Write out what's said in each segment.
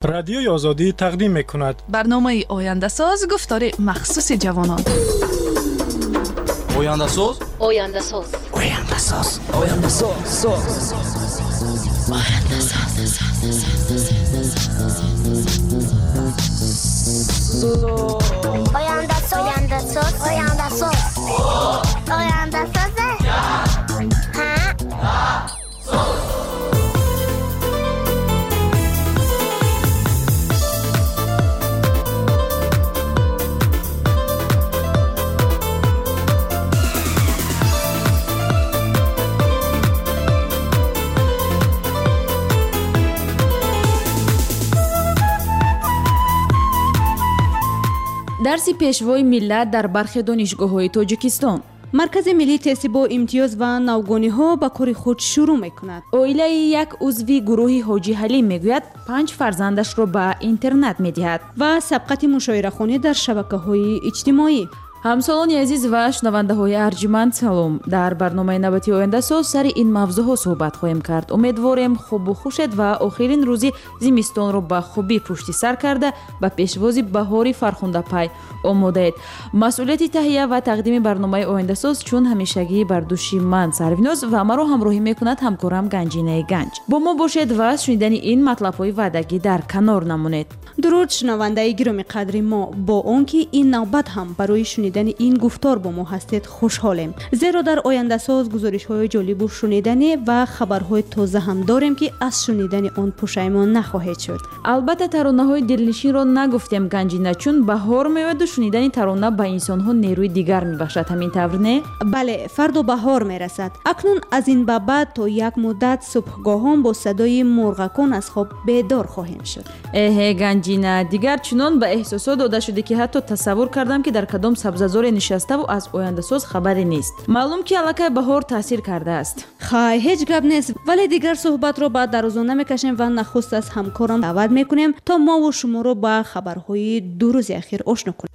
Радиои Озодӣ тақдим мекунад. Барномаи Ояндасоз, гуфтори махсуси ҷавонон. Ояндасоз, Ояндасоз, Ояндасоз, Ояндасоз, Ояндасоз. Ояндасоз, Ояндасоз, Ояндасоз, Ояндасоз. Ҳа. Дарси пешвои миллат дар бархе донишгоҳҳои Тоҷикистон. Маркази миллии тести бо имтиёз ва навгониҳо ба кори худ шурӯъ мекунад. Оилаи як узви гурӯҳи Ҳоҷи Ҳалим мегӯяд, панҷ фарзандашро ба интернат медиҳад. Ва сабқати мушоирахонӣ дар шабакаҳои иҷтимоӣ. Ҳамсолони азиз ва шунавандаҳои арҷманд, салом. Дар барномаи навбати Ояндасоз сари ин мавзӯъҳо суҳбат хоҳем кард. Умедворем, хубу хушед ва охирин рӯзи зимистонро ба хубӣ пушти сар карда, ба пешвози баҳори фархундапай омодаед. Масъулияти таҳия ва тақдими барномаи Ояндасоз чун ҳамешагӣ бар дӯши ман, Сарвиноз, ва маро ҳамроҳӣ мекунад ҳамкорам Ганҷинаи Ганҷ. Бо мо бошед ва аз шунидани ин матлабҳои ваъдагӣ дар канор намонед. Дуруд, шунавандаи гиромӣ қадри мо. Бо он ки ин навбат ҳам барои шунидани ин гуфтор бо мо ҳастед, хушҳолем, зеро дар Ояндасоз гузоришҳои ҷолибу шуниданӣ ва хабарҳои тоза ҳам дорем, ки аз шунидани он пушаймон нахоҳед шуд. Албатта, таронаҳои дилнишинро нагуфтем, Ганҷина, чун баҳор меояду шунидани тарона ба инсонҳо нерӯи дигар мебахшад. Ҳамин тавр, не? Бале, фардо баҳор мерасад. Акнун аз ин ба баъд то як муддат субҳгоҳон бо садои мурғакон аз хоб бедор хоҳем шуд. Эҳе, Ганҷина, дигар чунон ба эҳсосот дода шудӣ, ки ҳатто тасаввур кардам, ки дар кадом сабзазоре нишаставу аз Ояндасоз хабаре нест. Маълум, ки аллакай баҳор таъсир кардааст. Хай, ҳеҷ гап нест, вале дигар суҳбатро ба дарозо намекашем ва нахуст аз ҳамкорам даъват мекунем, то мову шуморо ба хабарҳои ду рӯзи ахир ошно кунем.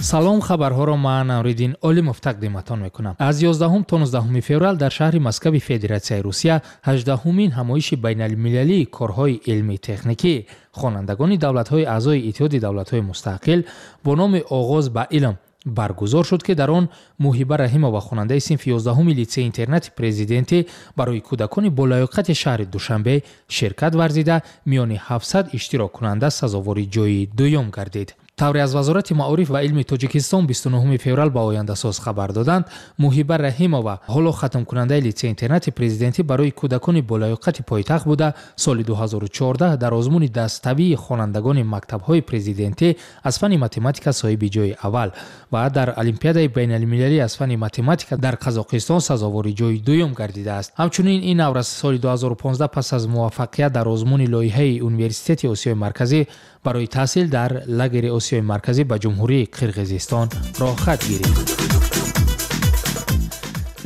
Салом, хабарҳоро ман, Амриддин Олимов, тақдиматон мекунам. Аз 11 то 19 феврал дар шаҳри Москави Федератсияи Русия 18-умин ҳамоиши байналмилалии корҳои илмии техникӣ хонандагони давлатҳои аъзои Иттиҳоди давлатҳои мустақил бо номи «Оғоз ба илм» баргузор шуд, ки дар он Муҳиба Раҳимова, хонандаи синфи 11-уми литсеи интернати президентӣ барои кӯдакони болаёқати шаҳри Душанбе, ширкат варзида, миёни 700 иштироккунанда сазовори ҷои дуюм гардид. Тавре аз Вазорати маориф ва илми Тоҷикистон 29 феврал ба Ояндасоз хабар доданд, Муҳиба Раҳимова ҳоло хатмкунандаи литсеи интернати президентӣ барои кӯдакони болаёқати пойтахт буда, соли 2014 дар озмуни даставии хонандагони мактабҳои президентӣ аз фанни математика соҳиби ҷои аввал ва дар олимпиадаи байналмилалӣ аз фанни математика дар Қазоқистон сазовори ҷои дуюм гардидааст. Ҳамчунин ин наврас соли 2015 пас аз муваффақият дар озмуни лоиҳаи Университети Осиёи Марказӣ барои таҳсил дар лагери Осиёи Марказӣ ба Ҷумҳурии Қирғизистон роҳхат гирифт.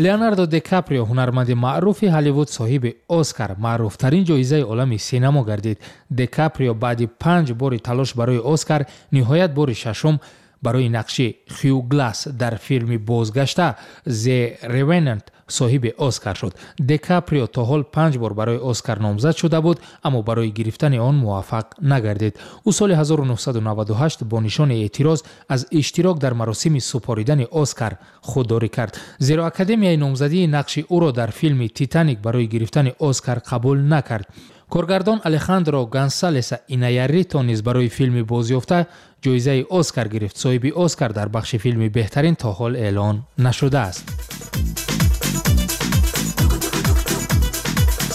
Леонардо Дикаприо, ҳунарманди маъруфи Ҳолливуд, соҳиби Оскар, маъруфтарин ҷоизаи олами синамо гардид. Дикаприо баъди панҷ бори талош барои Оскар ниҳоят бори шашум барои нақши Хью Гласс дар филми «Бозгашта» The Revenant соҳиби Оскар шуд. Дикаприо то ҳол панҷ бор барои Оскар номзад шуда буд, аммо барои гирифтани он муваффақ нагардид. Ӯ соли 1998 бо нишони эътироз аз иштирок дар маросими супоридани Оскар худдорӣ кард, зеро академияи номзадии нақши ӯро дар филми «Титаник» барои гирифтани Оскар қабул накард. Коргардон Алехандро Гонсалеса Иньяррито низ барои филми «Бозёфта» ҷоизаи Оскар гирифт. Соҳиби Оскар дар бахши филми беҳтарин то ҳол эълон нашудааст.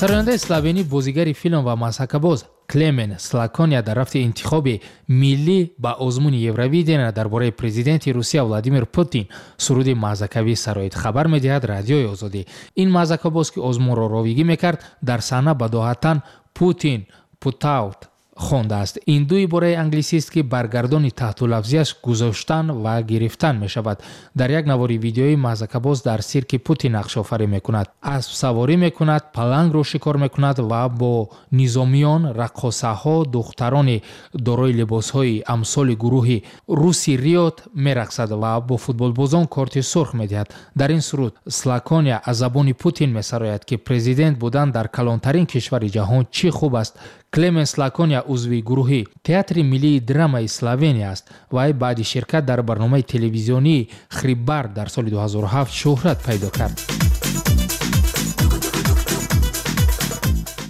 Сарояндаи словенӣ, бозигари филм ва мазҳакабоз Клемен Слакония дар рафти интихоби миллӣ ба озмуни Евровидения дар бораи президенти Русия Владимир Путин суруди мазҳакавӣ сароид, хабар медиҳад Радиои Озодӣ. Ин мазҳакабоз, ки озмунро ровигӣ мекард, дар саҳна бадоҳатан «Путин put out» Хондааст. Ин ду ибораи англисист, ки баргардони таҳтулафзиаш гузоштан ва гирифтан мешавад. Дар як навори видеоӣ маҳзакабоз дар сирки Путин нақшофарӣ мекунад, аспсаворӣ мекунад, палангро шикор мекунад ва бо низомиён, раққосаҳо, духтарони дорои либосҳои амсоли гурӯҳи Руси Риот мерақсад ва бо футболбозон корти сурх медиҳад. Дар ин суруд Слакония аз забони Путин месарояд, ки президент будан дар калонтарин кишвари ҷаҳон чӣ хуб аст. Клеменс Лакония узви гурӯҳи Театри миллии драмаи Словения аст. Вай баъди ширкат дар барномаи телевизионии Хрибар дар соли 2007 шӯҳрат пайдо кард.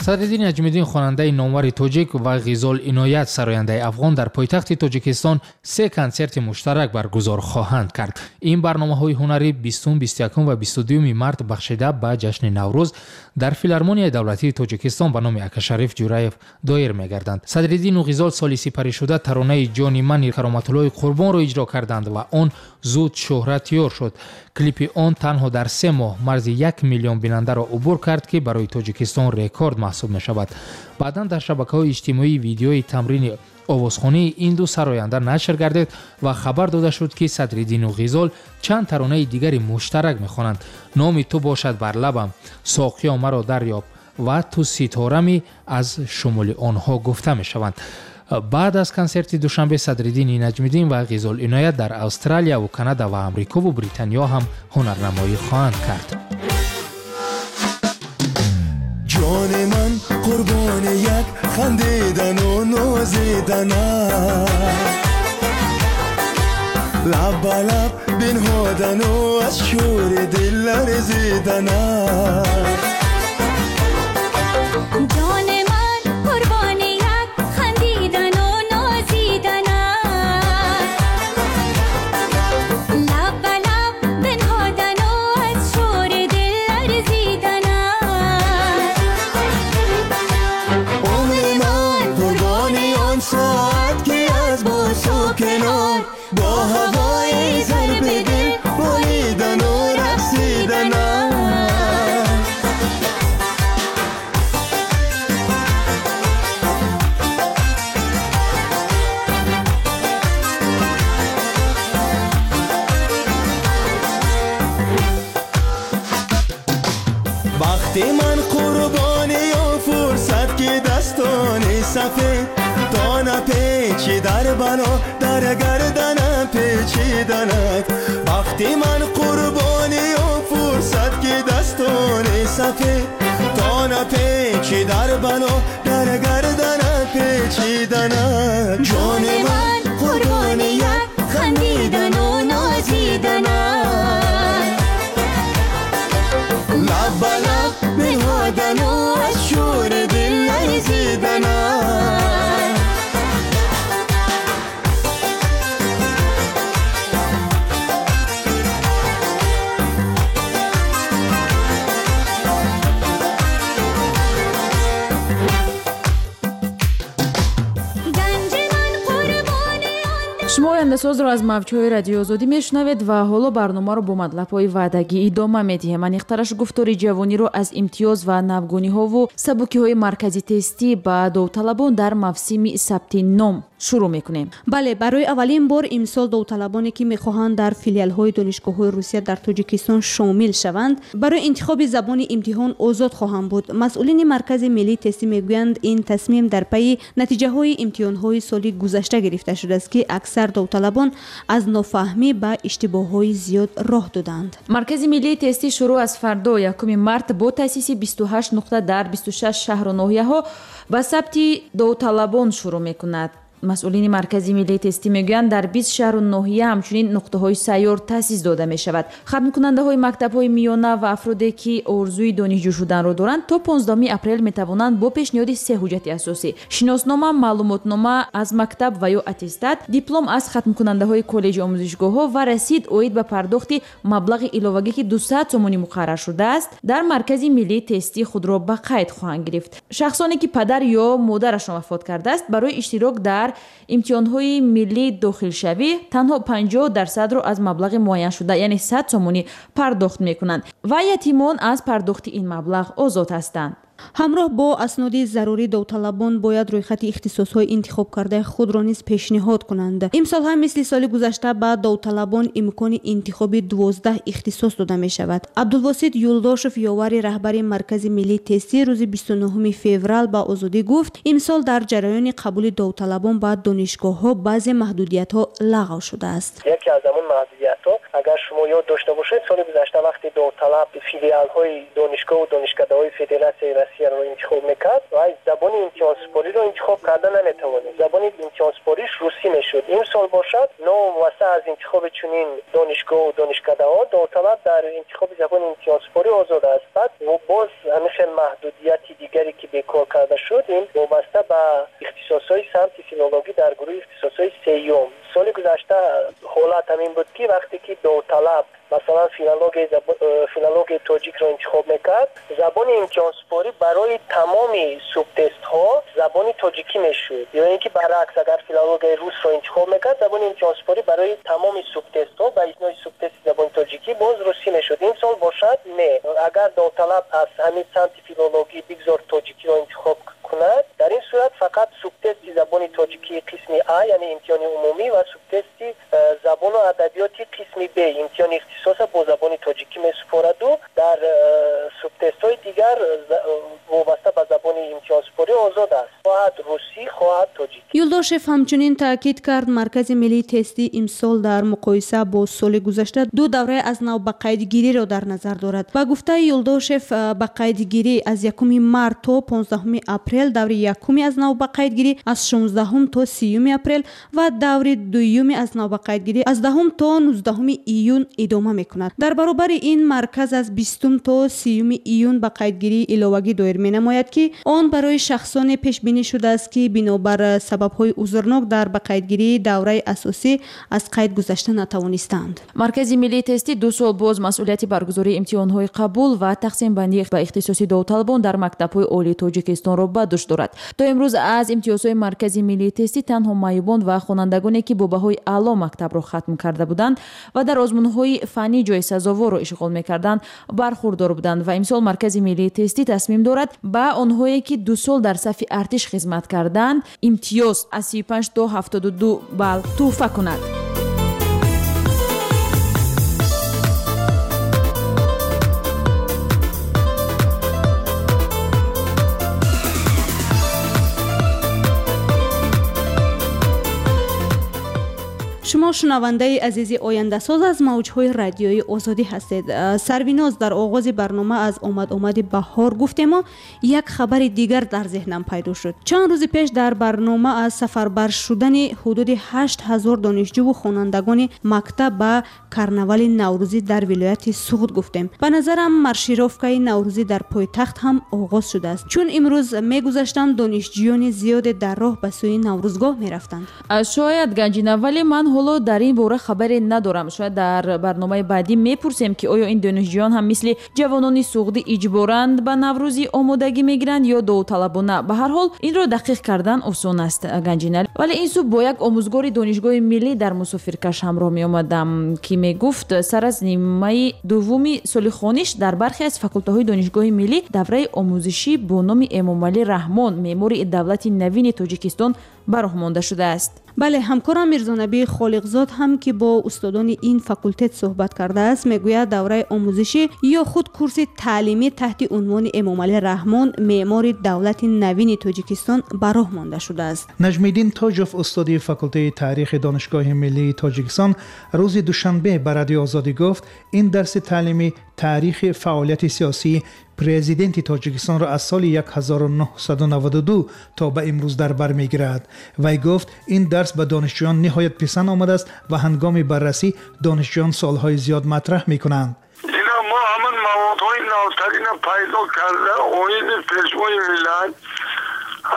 Садриддин Наҷмиддин, хонандаи номвари тоҷик, ва Ғизол Иноят, сарояндаи афғон, дар пойтахти Тоҷикистон се консерти муштарак баргузор хоҳанд кард. Ин барномаҳои ҳунарӣ 20, 21 ва 22 март бахшида ба ҷашни Наврӯз дар Филармонияи давлатии Тоҷикистон ба номи Акашариф Ҷураев доир мегарданд. Садриддину Ғизол соли сипаришуда таронаи «Ҷони мани» Кароматуллои Қурбонро иҷро карданд ва он зуд шӯҳратёр шуд. Клипи он танҳо дар 3 моҳ марзи 1 миллион бинандаро убур кард, ки барои Тоҷикистон рекорд маҳсуб мешавад. Баъдан дар шабакаҳои иҷтимоӣ видеои тамрини овозхонии ин ду сароянда нашр гардид ва хабар дода шуд, ки Садриддину Ғизол чанд таронаи дигари муштарак мехонанд: «Номи ту бошад бар лабам», «Соқиё маро дарёб» ва «Ту ситорами» аз шумули онҳо гуфта мешаванд. Баъд аз консерти Душанбе Садриддини Наҷмиддин ва Ғизол Иноят дар Австралияву Канада ва Амрикову Британиё ҳам ҳунарнамоӣ хоҳанд кард. Ҷони ман қурбони як хандидану нозиданат, лаб ба лаб бинҳодану аз шӯри дил ларзиданат. Ҷони ман қурбони як хандидану нозиданат, лаб ба лаб бинҳодану аз шӯри дил ларзиданат. Умри ман қурбони он соат, ки аз бӯсу канор бо ҳавои зарби дил болидану рақсиданат. Бахти ман қурбони он фурсат, ки дастони сафед то напечи дар бало дар гарданам печиданат. Бахти ман қурбони он фурсат, ки дастони сафед то напечи дар бало дар гарданам печиданат. Ҷони ман қурбони як хандидану нозиданат, лаб ба лаб бинҳодану аз шӯри дил ларзиданат. Ганҷи ман қурбони он Шумо Ояндасозро аз мавҷҳои Радиои Озодӣ мешунавед ва ҳоло барномаро бо матлабҳои ваъдагӣ идома медиҳем. Аниқтараш, гуфтори ҷавониро аз имтиёз ва навгониҳову сабукиҳои маркази тестӣ ба довталабон дар мавсими сабти ном шурӯъ мекунем. Бале, барои аввалин бор имсол довталабоне, ки мехоҳанд дар филиалҳои донишгоҳҳои Русия дар Тоҷикистон шомил шаванд, барои интихоби забони имтиҳон озод хоҳанд буд. Масъулини Маркази миллии тестӣ мегӯянд, ин тасмим дар пайи натиҷаҳои имтиҳонҳои соли гузашта гирифта шудааст, ки аксар довталабон аз нофаҳмӣ ба иштибоҳҳои зиёд роҳ доданд. Маркази миллии тестӣ шурӯъ аз фардо, 1 март, бо таъсиси 28 нуқта дар 26 шаҳру ноҳияҳо ба сабти довталабон шурӯъ мекунад. Масъулини Маркази миллии тестӣ мегӯянд, дар 20 шаҳру ноҳия ҳамчунин нуқтаҳои сайёр таъсис дода мешавад. Хатмкунандаҳои мактабҳои миёна ва афроде, ки орзуи донишҷӯ шуданро доранд, то 15 апрел метавонанд бо пешниҳоди се ҳуҷҷати асосӣ: шиноснома, маълумотнома аз мактаб ва ё аттестат, диплом аз хатмкунандаҳои коллеҷи омӯзишгоҳҳо ва расид оид ба пардохти маблағи иловагӣ, ки 200 сомонӣ муқаррар шудааст, дар Маркази миллии тестӣ худро ба қайд хоҳанд гирифт. Шахсоне, ки падар ё модарашон вафот кардааст, барои иштирок дар имтиҳонҳои миллии дохилшавӣ танҳо 50 дарсадро аз маблағи муайяншуда, яъне 100 сомонӣ, пардохт мекунанд ва ятимон аз пардохти ин маблағ озод ҳастанд. Ҳамроҳ бо асноди зарурӣ довталабон бояд рӯйхати ихтисосҳои интихобкардаи худро низ пешниҳод кунанд. Имсол ҳам мисли соли гузашта ба довталабон имкони интихоби 12 ихтисос дода мешавад. Абдулвосит Юлдошев, ёвари раҳбари Маркази миллии тестӣ, рӯзи 29 феврал ба Озодӣ гуфт, имсол дар ҷараёни қабули довталабон ба донишгоҳҳо баъзе маҳдудиятҳо лағв шудааст. Яке аз ҳамон маҳдудиятҳо, агар шумо ёд дошта бошед, соли гузашта вақте довталаб филиалҳои донишгоҳу донишкадаҳои Федератсияи Россияро интихоб мекард, вай забони имтиҳонсупориро интихоб карда наметавонист. Забони имтиҳонсупориш русӣ мешуд. Имсол бошад, новобаста аз интихоби чунин донишгоҳу донишкадаҳо, довталаб дар интихоби забони имтиҳонсупорӣ озод аст. Баъд боз ҳамин хел маҳдудияти дигаре ки бекор карда шуд, ин вобаста ба ихтисосҳои самти филологӣ дар гурӯҳи ихтисосҳои сеюм. Соли гузашта ҳолат ҳамин буд, ки вақте ки довталаб масалан филологияи тоҷикро интихоб мекард, забони имтиҳонсупорӣ барои тамоми субтестҳо забони тоҷикӣ мешуд. Ё ин ки баръакс, агар филологияи русро интихоб мекард, забони имтиҳонсупорӣ барои тамоми субтестҳо ба истиснои субтести забони тоҷикӣ боз русӣ мешуд. Имсол бошад не. Агар довталаб аз ҳамин самти филологӣ бигзор тоҷикиро интихоб кунад, дар ин сурат фақат субтести забони тоҷикии қисми А, яъне имтиҳони умумӣ, ва субтести забону адабиёти қисми Б, имтиҳони ихтисоса бо забони тоҷикӣ месупораду дар субтестҳои дигар вобаста ба забони имтиҳонсупорӣ озод аст, хоҳад русӣ, хоҳад тоҷикӣ. Юлдошев ҳамчунин таъкид кард, Маркази миллии тестӣ имсол дар муқоиса бо соли гузашта ду давраи аз нав ба қайдгириро дар назар дорад. Ба гуфтаи Юлдошев, ба қайдгирӣ аз 1 март то 15 апрел, даври якуми аз нав ба қайдгирӣ аз 16 то 30 апрел ва даври дуюми аз нав ба қайдгирӣ аз 10 то 19 июн идома мекунад. Дар баробари ин марказ аз 20 то 30 июн ба қайдгирии иловагӣ доир менамояд, ки он барои шахсоне пешбинӣ шудааст, ки бинобар сабабҳои узрнок дар ба қайдгирии давраи асосӣ аз қайд гузашта натавонистанд. Маркази миллии тестӣ 2 сол боз масъулияти баргузории имтиҳонҳои қабул ва тақсимбандӣ ба ихтисоси довталабон дар мактабҳои олии Тоҷикистонро ба дӯш дорад. То имрӯз аз имтиёзҳои Маркази миллии тестӣ танҳо маъюбон ва хонандагоне, ки бо баҳои аъло мактабро хатм карда буданд ва дар озмунҳои фаннӣ ҷои сазоворро ишғол мекарданд, бархурдор буданд. Ва имсол Маркази миллии тестӣ тасмим дорад ба онҳое, ки 2 сол дар сафи артиш хизмат карданд, имтиёз аз 35 то 72 балл тӯҳфа кунад. Шумо шунавандаи азизи Ояндасоз аз мавҷҳои радиои Озодӣ ҳастед. Сарвиноз, дар оғози барнома аз омад-омади баҳор гуфтему як хабари дигар дар зеҳнам пайдо шуд. Чанд рӯзи пеш дар барнома аз сафарбар шудани ҳудуди 8000 донишҷӯву хонандагони мактаб ба карнавали наврӯзӣ дар вилояти Суғд гуфтем. Ба назарам, маршировкаи наврӯзӣ дар пойтахт ҳам оғоз шудааст, чун имрӯз мегузаштам, донишҷӯёни зиёде дар роҳ ба сӯи наврӯзгоҳ мерафтанд. Шояд, Ганҷина, вале ман ҳоло дар ин бора хабаре надорам. Шояд дар барномаи баъдӣ мепурсем, ки оё ин донишҷӯён ҳам мисли ҷавонони суғдӣ иҷборанд ба наврӯзӣ омодагӣ мегиранд ё довталабона. Ба ҳар ҳол, инро дақиқ кардан осон аст, Ганҷина. Вале ин субҳ бо як омӯзгори донишгоҳи миллӣ дар мусофиркаш ҳамроҳ меомадам, ки мегуфт, сар аз нимаи дуввуми соли хониш дар бархе аз факултаҳои донишгоҳи миллӣ давраи омӯзишӣ бо номи Эмомалӣ Раҳмон, меъмори давлати навини Тоҷикистон, ба роҳ монда шудааст. Бале, ҳамкорам Мирзонабӣ Холиқзод ҳам, ки бо устодони ин факултет суҳбат кардааст, мегӯяд, давраи омӯзишӣ ё худ курси таълимӣ таҳти унвони Эмомалӣ Раҳмон, меъмори давлати навини Тоҷикистон, ба роҳ монда шудааст. Наҷмиддин Тоҷов, устоди факултаи таърихи Донишгоҳи миллии Тоҷикистон, рӯзи душанбе ба Радиои Озодӣ гуфт, ин дарси таълимӣ таърихи фаъолияти сиёсии президенти Тоҷикистонро аз соли 1992 то ба имрӯз дар бар мегирад. Вай гуфт, ин дарс ба донишҷӯён ниҳоят писанд омадааст ва ҳангоми баррасӣ донишҷӯён суолҳои зиёд матраҳ мекунанд. Ина мо ҳамин маводҳои навтарина пайдо карда оиди Пешвои миллат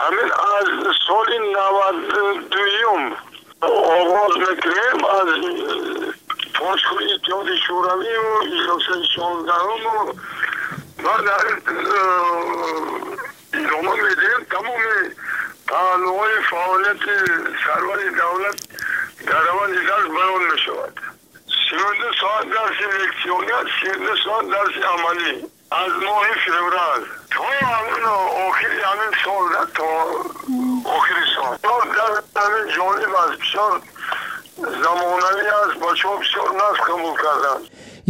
ҳамин аз соли 92-юм оғоз мекунем, аз пошхӯри Иттиҳоди Шӯравию иҷлосаи 16-уму баъд идома медиҳем. Тамоми паҳлӯҳои фаъолияти сарвари давлат дар раванди дарс баён мешавад. 32 соат дарси лексионӣ, 32 соат дарси амалӣ аз моҳи феврал. То ҳамин охири ҳамин сол, то охири сол. Дар ҳамин ҷолиб аст, бисёр замонавӣ аст, бачаҳо бисёр нағз қабул карданд.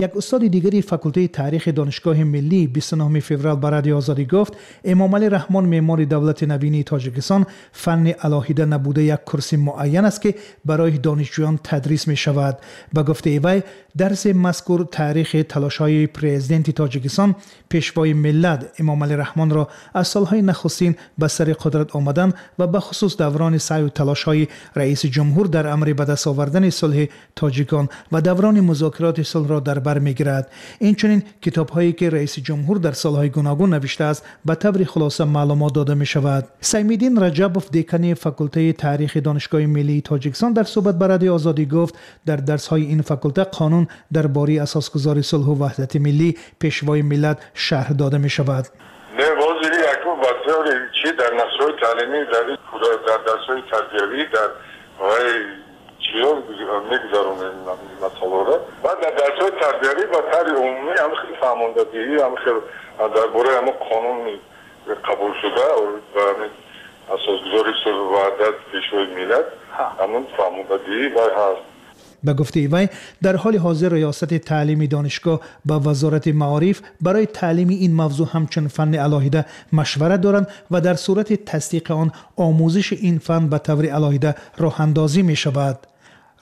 Як устоди дигари факултаи таърихи Донишгоҳи миллӣ 29 феврал ба Радиои Озодӣ гуфт, Эмомалӣ Раҳмон меъмори давлати навини Тоҷикистон фанни алоҳида набуда як курси муайян аст, ки барои донишҷӯён тадрис мешавад. Ба гуфтаи вай, дарси мазкур таърихи талошҳои президенти Тоҷикистон, пешвои миллат Эмомалӣ Раҳмонро аз солҳои нахустин ба сари қудрат омадан ва ба хусус даврони саъю талошҳои раиси ҷумҳур дар амри ба даст овардани сулҳи тоҷикон ва даврони музокироти сулҳро дар бар мегирад. Инчунин китобҳое ки раиси ҷумҳур дар солҳои гуногун навиштааст, ба таври хулоса маълумот дода мешавад. Саймиддин Раҷабов, декани факултаи таърихи Донишгоҳи миллии Тоҷикистон, дар суҳбат ба Радиои Озодӣ гуфт, дар дарсҳои ин факулта қонун дар бораи асосгузори сулҳу ваҳдати миллӣ, пешвои миллат шарҳ дода мешавад. Не, ҳозири яку ба таври чи дар нақшаҳои таълимӣ, дар дарсҳои тарбиявӣ, дар чиё мегузаронем масъаларо. Баъд дар дарсҳои тарбиявӣ ба таври умумӣ ҳам хел фаҳмондадиҳӣ, ҳам хел дар бораи ҳамон қонуни қабулшуда ва асосгузори сулҳу ваҳдат, пешвои миллат, ҳамон фаҳмондадиҳӣ вай ҳаст. Ба гуфтаи вай, дар ҳоли ҳозир риёсати таълими донишгоҳ ба Вазорати маориф барои таълими ин мавзӯъ ҳамчун фанни алоҳида машварат доранд ва дар сурати тасдиқи он омӯзиши ин фан ба таври алоҳида роҳандозӣ мешавад.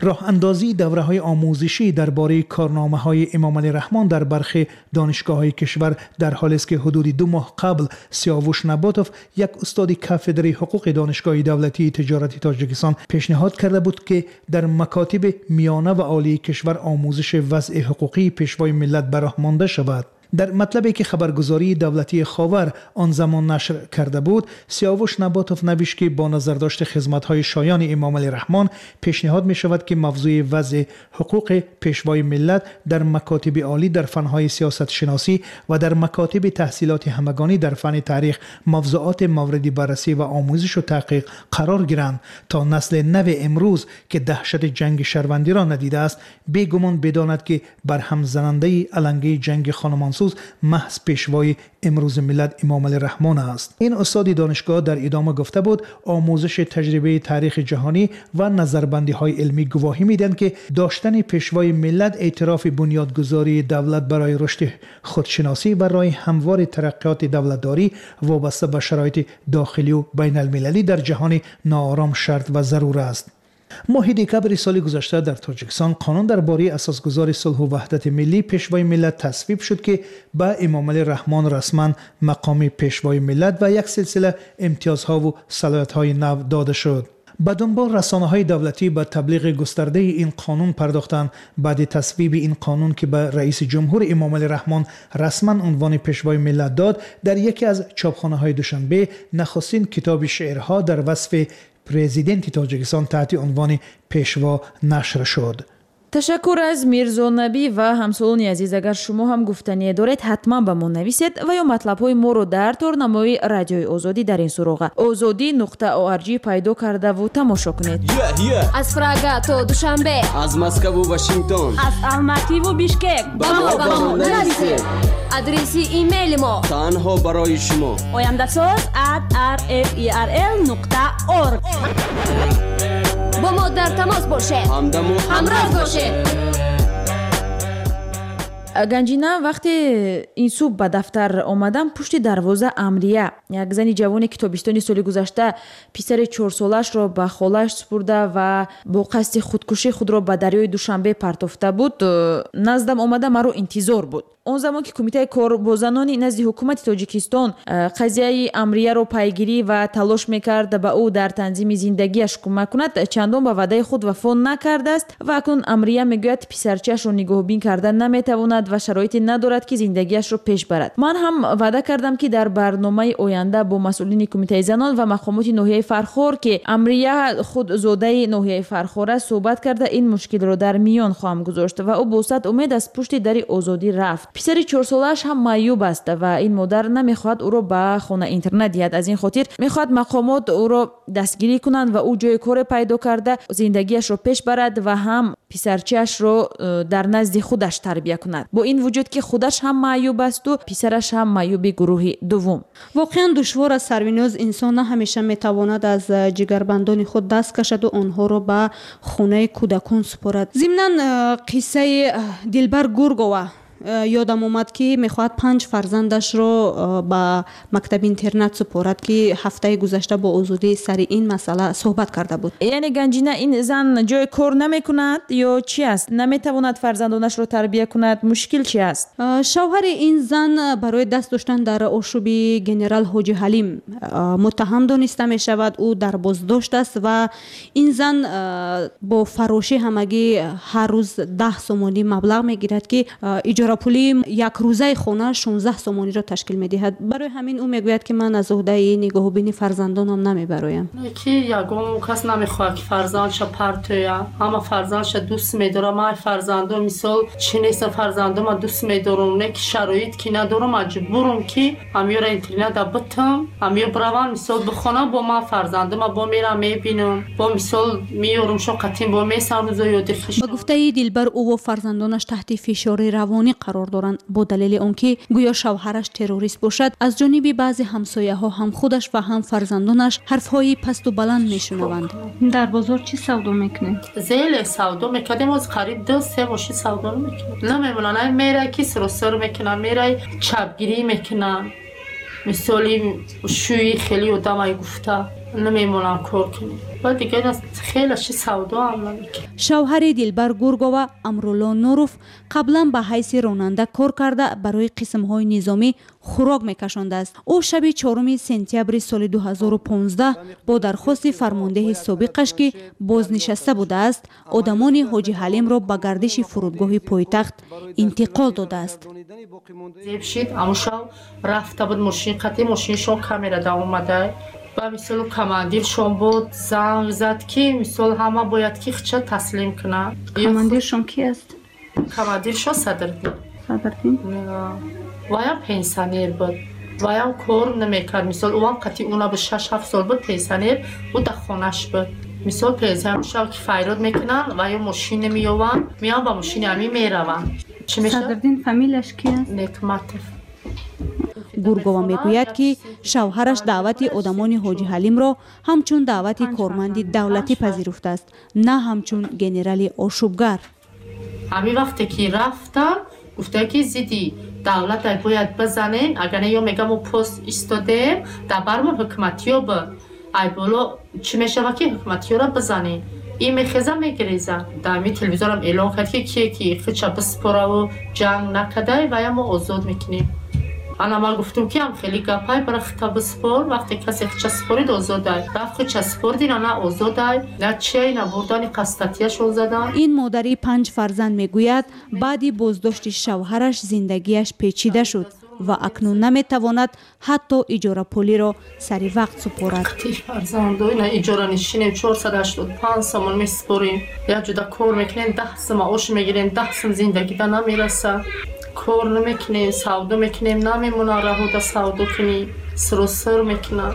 Роҳандозии давраҳои омӯзишӣ дар бораи корномаҳои Эмомалӣ Раҳмон дар бархи донишгоҳҳои кишвар дар ҳолест, ки ҳудуди 2 моҳ қабл Сиёвуш Наботов, як устоди кафедраи ҳуқуқи Донишгоҳи давлатии тиҷорати Тоҷикистон, пешниҳод карда буд, ки дар макотиби миёна ва олии кишвар омӯзиши вазъи ҳуқуқии пешвои миллат ба роҳ монда шавад. Дар матлабе ки хабаргузории давлатии Ховар он замон нашр карда буд, Сиёвуш Наботов навишт, ки бо назардошти хизматҳои шоёни Эмомалӣ Раҳмон пешниҳод мешавад, ки мавзӯи вазъи ҳуқуқи пешвои миллат дар макотиби олӣ дар фанҳои сиёсатшиносӣ ва дар макотиби таҳсилоти ҳамагонӣ дар фанни таърих мавзӯоти мавриди баррасӣ ва омӯзишу таҳқиқ қарор гиранд, то насли нави имрӯз, ки даҳшати ҷанги шаҳрвандиро надидааст, бегумон бидонад, ки барҳамзанандаи алангаи ҷанги хонумонсӯз маҳз пешвои имрӯзи миллат Эмомалӣ Раҳмон аст. Ин устоди донишгоҳ дар идома гуфта буд, омӯзиши таҷрибаи таърихи ҷаҳонӣ ва назарбандиҳои илмӣ гувоҳӣ медиҳанд, ки доштани пешвои миллат эътирофи бунёдгузории давлат барои рушди худшиносӣ ва роҳи ҳамвори тараққиёти давлатдорӣ вобаста ба шароити дохилию байналмилалӣ дар ҷаҳони ноором шарт ва зарур аст. Моҳи декабри соли гузашта дар Тоҷикистон қонун дар бораи асосгузори сулҳу ваҳдати миллӣ, пешвои миллат тасвиб шуд, ки ба Эмомалӣ Раҳмон расман мақоми пешвои миллат ва як силсила имтиёзҳову салоҳиятҳои нав дода шуд. Ба дунбол расонаҳои давлатӣ ба таблиғи густардаи ин қонун пардохтанд. Баъди тасвиби ин қонун, ки ба раиси ҷумҳур Эмомалӣ Раҳмон расман унвони пешвои миллат дод, дар яке аз чопхонаҳои Душанбе нахустин китоби шеърҳо дар васфи президенти Тоҷикистон таҳти унвони Пешво нашр шуд. Ташаккур аз Мирзо Набӣ ва ҳамсолони азиз. Агар шумо ҳам гуфтание доред, ҳатман ба мо нависед ва ё матлабҳои моро дар торнамои Радиои Озодӣ дар ин суроға озодӣ.org пайдо кардаву тамошо кунед. Аз Прага то Душанбе, аз Москву Вашингтон, аз Алмативу Бишкек ба мо нависед. Адреси имейли мо танҳо барои шумо ояндасоз@rferl.org. Бо мо дар тамос бошед, ҳамдаму ҳамроз бошед. Ганҷина, вақте ин субҳ ба дафтар омадам, пушти дарвоза Амрия, як зани ҷавоне, ки тобистони соли гузашта писари 4-солаашро ба холааш супурда ва бо қасди худкушӣ худро ба дарёи Душанбе партофта буд, наздам омада маро интизор буд. Он замон ки Кумитаи кор бо занони назди ҳукумати Тоҷикистон қазияи Амрияро пайгирӣ ва талош мекард ба ӯ дар танзими зиндагиаш кӯмак кунад, чандон ба ваъдаи худ вафо накардааст ва акнун Амрия мегӯяд, писарчаашро нигаҳбин карда наметавонад ва шароите надорад, ки зиндагиашро пеш барад. Ман ҳам ваъда кардам, ки дар барномаи оянда бо масъулини Кумитаи занон ва мақомоти ноҳияи Фархор, ки Амрия худ зодаи ноҳияи Фархор аст, суҳбат карда ин мушкилро дар миён хоҳам гузошт ва ӯ бо сад умед аз пушти дари Озодӣ рафт. Писари 4-солааш ҳам маъюб аст ва ин модар намехоҳад ӯро ба хона интернат диҳад. Аз ин хотир мехоҳад мақомот ӯро дастгирӣ кунанд ва ӯ ҷои коре пайдо карда зиндагиашро пеш барад ва ҳам писарчаашро дар назди худаш тарбия кунад. Бо ин вуҷуд ки худаш ҳам маъюб асту писараш ҳам маъюби гурӯҳи дуввум. Воқеан душвор аст, Сарвиноз. Инсон на ҳамеша метавонад аз ҷигарбандони худ даст кашаду онҳоро ба хонаи кӯдакон супорад. Зимнан қиссаи Дилбар Гургова ёдам омад, ки мехоҳад 5 фарзандашро ба мактаби интернат супорад, ки ҳафтаи гузашта бо Озодӣ сари ин масъала суҳбат карда буд. Яъне Ганҷина, ин зан ҷои кор намекунад ё чи аст? Наметавонад фарзандонашро тарбия кунад? Мушкил чи аст? Шавҳари ин зан барои даст доштан дар ошӯби генерал Ҳоҷи Ҳалим муттаҳам дониста мешавад. Ӯ дар боздошт аст ва ин зан бо фарошӣ ҳамагӣ ҳар рӯз 10 сомонӣ маблағ мегирад, ки иҷорапулии якрӯзаи хона 16 сомониро ташкил медиҳад. Барои ҳамин ӯ мегӯяд, ки ман аз уҳдаи нигоҳубини фарзандонам намебароям. Ки ягон кас намехоҳад, ки фарзандша партоя. Ҳама фарзандша дӯст медорам. Ман фарзандо мисол чӣ неста, фарзандома дӯст медорам, не ки шароит ки надорам, маҷбурам ки ҳамёра интерната битам, ҳамё биравам, мисол бихонам, бо ман фарзандома бо мерам мебинам, бо мисол меёрам шо қатин бо месам рӯзо ёди хиш. Ба гуфтаи Дилбар, ӯ фарзандонаш таҳти фишори равонӣ қарор доранд, бо далели он ки гӯё шавҳараш террорист бошад. Аз ҷониби баъзе ҳамсояҳо ҳам худаш ва ҳам фарзандонаш ҳарфҳои пасту баланд мешунаванд. Дар бозор чӣ савдо мекунед? Зеле савдо мекардем, оз қариб 2-3 мошин савдо мекунем. Намемонанд, мерай ки сиросир мекунам, мерай чапгирӣ мекунам. Мисоли шӯи хеле одамай гуфта намемонам кор кунем. Ва дигар хеле чи савдо ҳам намекунем. Шавҳари Дилбар Гургова Амрулло Нуров қаблан ба ҳайси ронанда кор карда барои қисмҳои низомӣ хӯрок мекашондааст. Ӯ шаби 4 сентябри соли 2015 бо дархости фармондеҳи собиқаш, ки бознишаста будааст, одамони Ҳоҷи Ҳалимро ба гардиши фурудгоҳи пойтахт интиқол додааст. Зебшид амушав рафта буд мошин қатӣ, мошиншон камера да омада. Ба мисол командиршон буд, занг зад, ки мисол ҳама бояд ки хича таслим кунад. Командиршон ки аст? Командиршон Садрдин. Садрдин? Ваям пенсионер буд. Ваям кор намекард. Мисол ӯам қатӣ уна буд, 6-7 сол буд пенсионер, ӯ дар хонаш буд. Мисол пенсионер шав ки файрод мекунанд ва ё мошин намеёванд, меянд ба мошини ҳамин мераванд. Чӣ мешавад? Садрдин фамилияш ки аст? Некматов. Гургова мегӯяд, ки шавҳараш даъвати одамони Ҳоҷи Ҳалимро ҳамчун даъвати корманди давлатӣ пазируфтааст, на ҳамчун генерали ошӯбгар. Ҳамин вақте ки рафтам, гуфта ки зидди давлата бояд бизанем, агар не ё мегам мо пост истодем, дар бармо ҳукуматиё буд. Ай боло чӣ мешавад ки ҳукуматиёро бизанем? Ин мехеза мегиреза. Дар ҳамин телевизорам эълон кард, ки кие ки хича биспораву ҷанг накардай, вая мо озод мекунем. Ана ман гуфтум, ки ҳам хеле гапай, бара хита биспор, вақте касе хича спорид озодай. Рафт хича спордин, ана озодай, на чиай, на бурдани қастатияшон задан. Ин модари 5 фарзанд мегӯяд, баъди боздошти шавҳараш зиндагиаш печида шуд ва акнун наметавонад ҳатто иҷорапулиро сари вақт супорад. Фарзандо ина иҷоранишинем, 485 сомон месупорем. Як ҷуда кор мекунем, 10 сум маош мегирем, 10 сум зиндагида намерасад. Кор намекунем, савдо мекунем, намемонад раҳода савдо кунӣ, сиросир мекунад.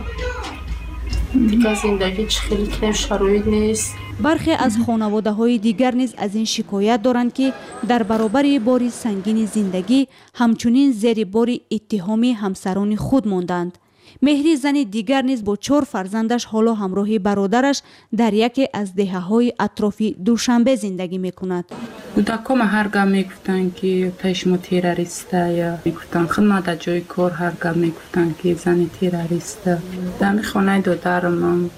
Дигар зиндагӣ чӣ хеле кунем, шароит нест. Бархе аз хонаводаҳои дигар низ аз ин шикоят доранд, ки дар баробари бори сангини зиндагӣ ҳамчунин зери бори иттиҳоми ҳамсарони худ монданд. Меҳри зани дигар низ бо 4 фарзандаш ҳоло ҳамроҳи бародараш дар яке аз деҳаҳои атрофи Душанбе зиндагӣ мекунад. Кӯдакҳома ҳар гап мегуфтанд, ки таи шумо террориста, ё мегуфтанд худма дар ҷои кор ҳар гап мегуфтанд, ки зани террориста. Дар ҳамин хонаи додарам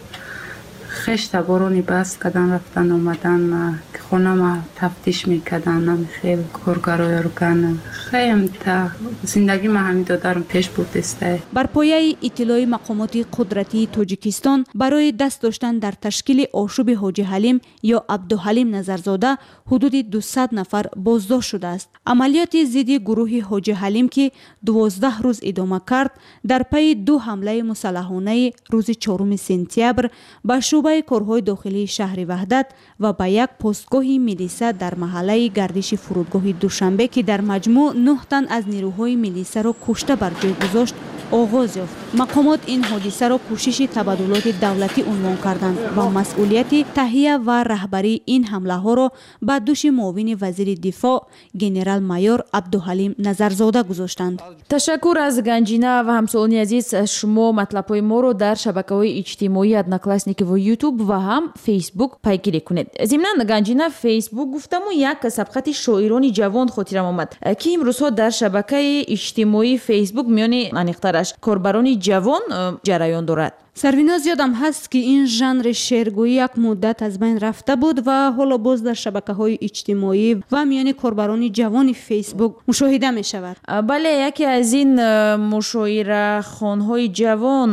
хеш таборони баст кардан, рафтан омадан, хонама тафтиш мекардан, ами хел коргарои органа. Хеем та зиндагӣ ма ҳамин додарам пеш бурдестай. Бар пояи иттилои мақомоти қудратии Тоҷикистон барои даст доштан дар ташкили ошӯби Ҳоҷи Ҳалим ё Абдуҳалим Назарзода ҳудуди 200 нафар боздошт шудааст. Амалиёти зидди гурӯҳи Ҳоҷи Ҳалим, ки 12 рӯз идома кард, дар пайи 2 ҳамлаи мусаллаҳонаи рӯзи 4 сентябр ба шӯъбаи корҳои дохилии шаҳри Ваҳдат ва ба як постгоҳи Қароргоҳи милиса дар маҳаллаи гардиши фурудгоҳи Душанбе, ки дар маҷмӯъ 9 тан аз нерӯҳои милисаро кушта бар ҷой гузошт, оғоз ёфт. Мақомот ин ҳодисаро кӯшиши табаддулоти давлатӣ унвон карданд ва масъулияти таҳия ва раҳбарии ин ҳамлаҳоро ба дӯши муовини вазири дифоъ генерал-майор Абдуҳалим Назарзода гузоштанд. Ташаккур аз Ганҷина ва ҳамсолони азиз, шумо матлабҳои моро дар шабакаҳои иҷтимоии Одноклассники ва Ютуб ва ҳам Фейсбук пайгирӣ кунед. Зимнан, Ганҷина, Фейсбук гуфтаму як сабқати шоирони ҷавон хотирам омад, ки имрӯзҳо дар шабакаи иҷтимоии Фейсбук миёни аниқтараш корбарони ҷавон ҷараён дорад. Сарвиноз, ёдам ҳаст, ки ин жанри шеъргӯӣ як муддат аз байн рафта буд ва ҳоло боз дар шабакаҳои иҷтимоӣ ва миёни корбарони ҷавони Фейсбук мушоҳида мешавад. Бале, яке аз ин мушоирахонҳои ҷавон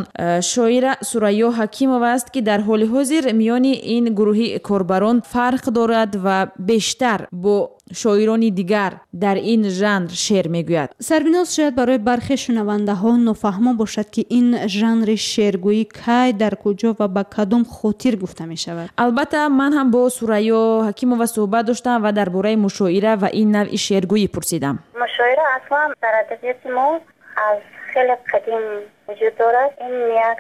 шоира Сурайё Ҳакимова аст, ки дар ҳоли ҳозир миёни ин гурӯҳи корбарон фарқ дорад ва бештар бо шоирони дигар дар ин жанр шеър мегӯяд. Сарвиноз, шояд барои бархе шунавандаҳо нофаҳмо бошад, ки ин жанри шеъргӯӣ кай, дар куҷо ва ба кадом хотир гуфта мешавад. Албатта, ман ҳам бо Сурайё Ҳакимова суҳбат доштам ва дар бораи мушоира ва ин навъи шеъргӯӣ пурсидам. Мушоира аслан дар адабиёти мо аз хеле қадим вуҷуд дорад. Ин як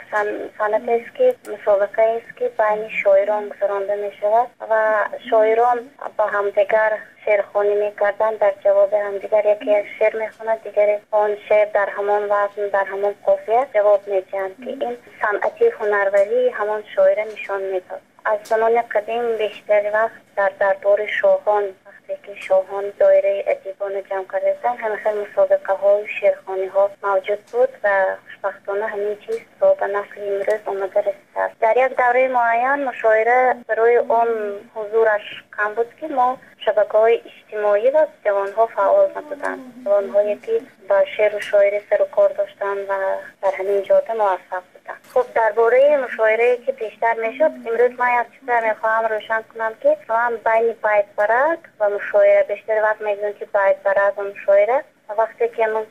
санъатест, ки мусобиқаест, ки байни шоирон гузаронда мешавад ва шоирон ба ҳамдигар шеърхонӣ мекарданд. Дар ҷавоби ҳамдигар яке як шеър мехонад, дигаре он шеър дар ҳамон вазн, дар ҳамон қофия ҷавоб медиҳанд, ки ин санъати ҳунарварии ҳамон шоира нишон медод. Аз замони қадим бештари вақт дар дарбори шоҳон, вақте ки шоҳон доираи адибонро ҷамъ карда буданд, ҳамин хел мусобиқаҳою шеърхониҳо мавҷуд буд ва хушбахтона ҳамин чиз то ба насли имрӯз омада расидааст. Дар як давраи муайян мушоира барои он ҳузураш кам буд, ки мо шабакаҳои иҷтимоӣ ва ҷавонҳо фаъол набуданд, ҷавонҳое ки ба шеъру шоирӣ сару кор доштанд ва дар ҳамин ҷода муваффақ буданд. Хуб, дар бораи мушоирае ки пештар мешуд, имрӯз ман як чизро мехоҳам рӯшан кунам, ки масалан байни байтбарак ва мушоира, бештари вақт мегӯем, ки байтбарак ва мушоира. Вақте ки мо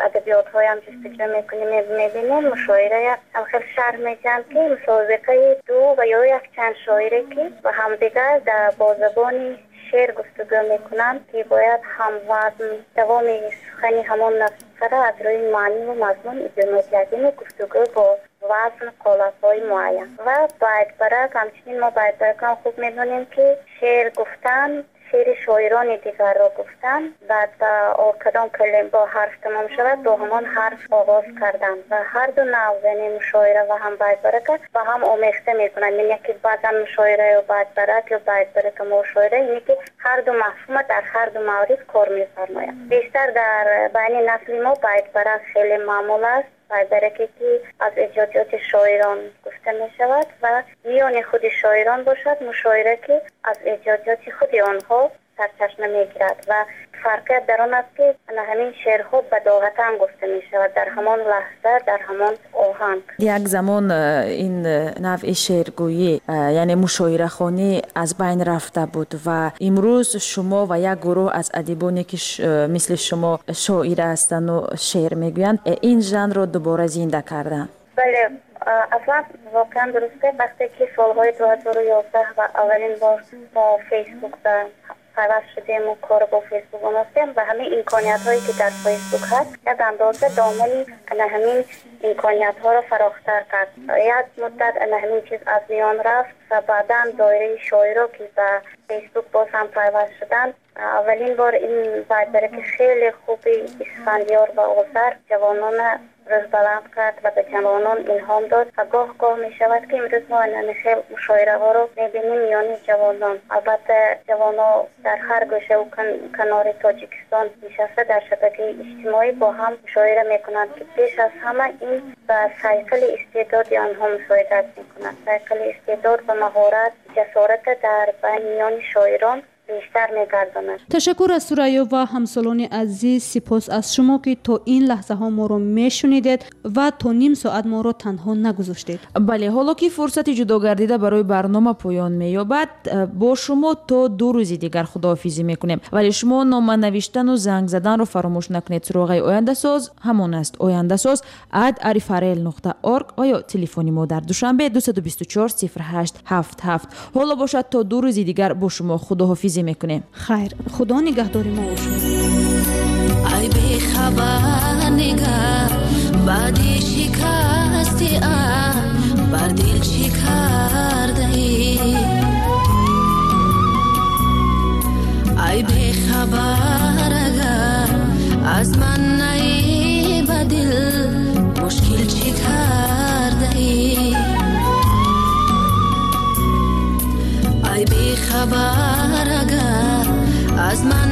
адабиётҳоям ҷустуҷӯ мекунем, мебинем, мушоирая ҳам хел шарҳ медиҳанд, ки мусобиқаи ду ва ё якчанд шоире, ки ба ҳамдигар бо забони шеър гуфтугӯ мекунанд, ки бояд ҳамвазн давоми сухани ҳамон нафара аз рӯи маъниву мазмун идома диҳад, яъне гуфтугӯ бо вазн, қолабҳои муайян. Ва байтбарак ҳамчунин, мо байтбаракам хуб медонем, ки шеър гуфтан, шеъри шоирони дигарро гуфтан, баъд ба кадом калим бо ҳарф тамом шавад, бо ҳамон ҳарф оғоз кардан. Ва ҳар ду навъ, яъне мушоира ва ҳам байтбарака, ба ҳам омехта мекунанд, яъне ки баъзан мушоира ё байтбарак ё байтбарака мушоира, яъне ки ҳар ду мафҳума дар ҳар ду маврид кор мефармояд. Бештар дар байни насли мо байтбарак хеле маъмул аст, байтбараке ки аз эҷодиёти шоирон гуфта мешавад, ва миёни худи шоирон бошад мушоира, ки аз эҷодиёти худи онҳо сарчашма мегирад. Ва фарқият дар он аст, ки ана ҳамин шеърҳо бадоғатан гуфта мешавад, дар ҳамон лаҳза, дар ҳамон оҳанг. Як замон ин навъи шеъргӯӣ, яъне мушоирахонӣ, аз байн рафта буд ва имрӯз шумо ва як гурӯҳ аз адибоне, ки мисли шумо шоира ҳастанду шеър мегӯянд, ин жанрро дубора зинда карданд. Бале, аслан воқеан дуруст. Вақте ки солҳои 2011 ва аввалин бор мо Фейсбук ба пайваст шудему кор бо Фейсбук омӯхтем ва ҳамин имкониятҳое, ки дар Фейсбук ҳаст, як андоза домани ана ҳамин имкониятҳоро фарохтар кард. Як муддат ана ҳамин чиз аз миён рафт ва баъдан доираи шоиро, ки ба Фейсбук боз ҳам пайваст шуданд, аввалин бор ин байтбараки хеле хуби Исфандиёр ва Озар ҷавонона рӯзбаланд кард ва ба ҷавонон илҳом дод. Ва гоҳ гоҳ мешавад, ки имрӯз мо ана хел мушоираҳоро мебинем миёни ҷавонон. Албатта, ҷавонон дар ҳар гӯшаву канори Тоҷикистон нишаста, дар шабакаи иҷтимоӣ бо ҳам мушоира мекунанд, ки пеш аз ҳама ин ба сайқали истеъдоди онҳо мусоидат мекунад, сайқали истеъдод ва маҳорат, ҷасората дар байни миёни шоирон. Бештар мегардонад. Ташаккур аз Сурайё ва ҳамсолони азиз. Сипос аз шумо, ки то ин лаҳзаҳо моро мешунидед ва то ним соат моро танҳо нагузоштед. Бале, ҳоло ки фурсати ҷудогардида барои барнома поён меёбад, бо шумо то 2 рӯзи дигар худоҳофизӣ мекунем. Вале шумо нома навиштану занг заданро фаромӯш накунед. Суроғаи Ояндасоз ҳамон аст: ояндасоз at rfrl нуқта org ва ё телефони мо дар Душанбе 224 08 77. Ҳоло бошад, то 2 рӯзи дигар бо шумо худоҳофизӣ мекунем. Хайр, Худо нигаҳдори мо бошад. Ай бехабар нигар, баъди шикасти бар дил чӣ кардаӣ? Ай бехабар, агар аз ман наӣ, ба дил мушкил чӣ кардаӣ? Ай бехабар, агар аз ман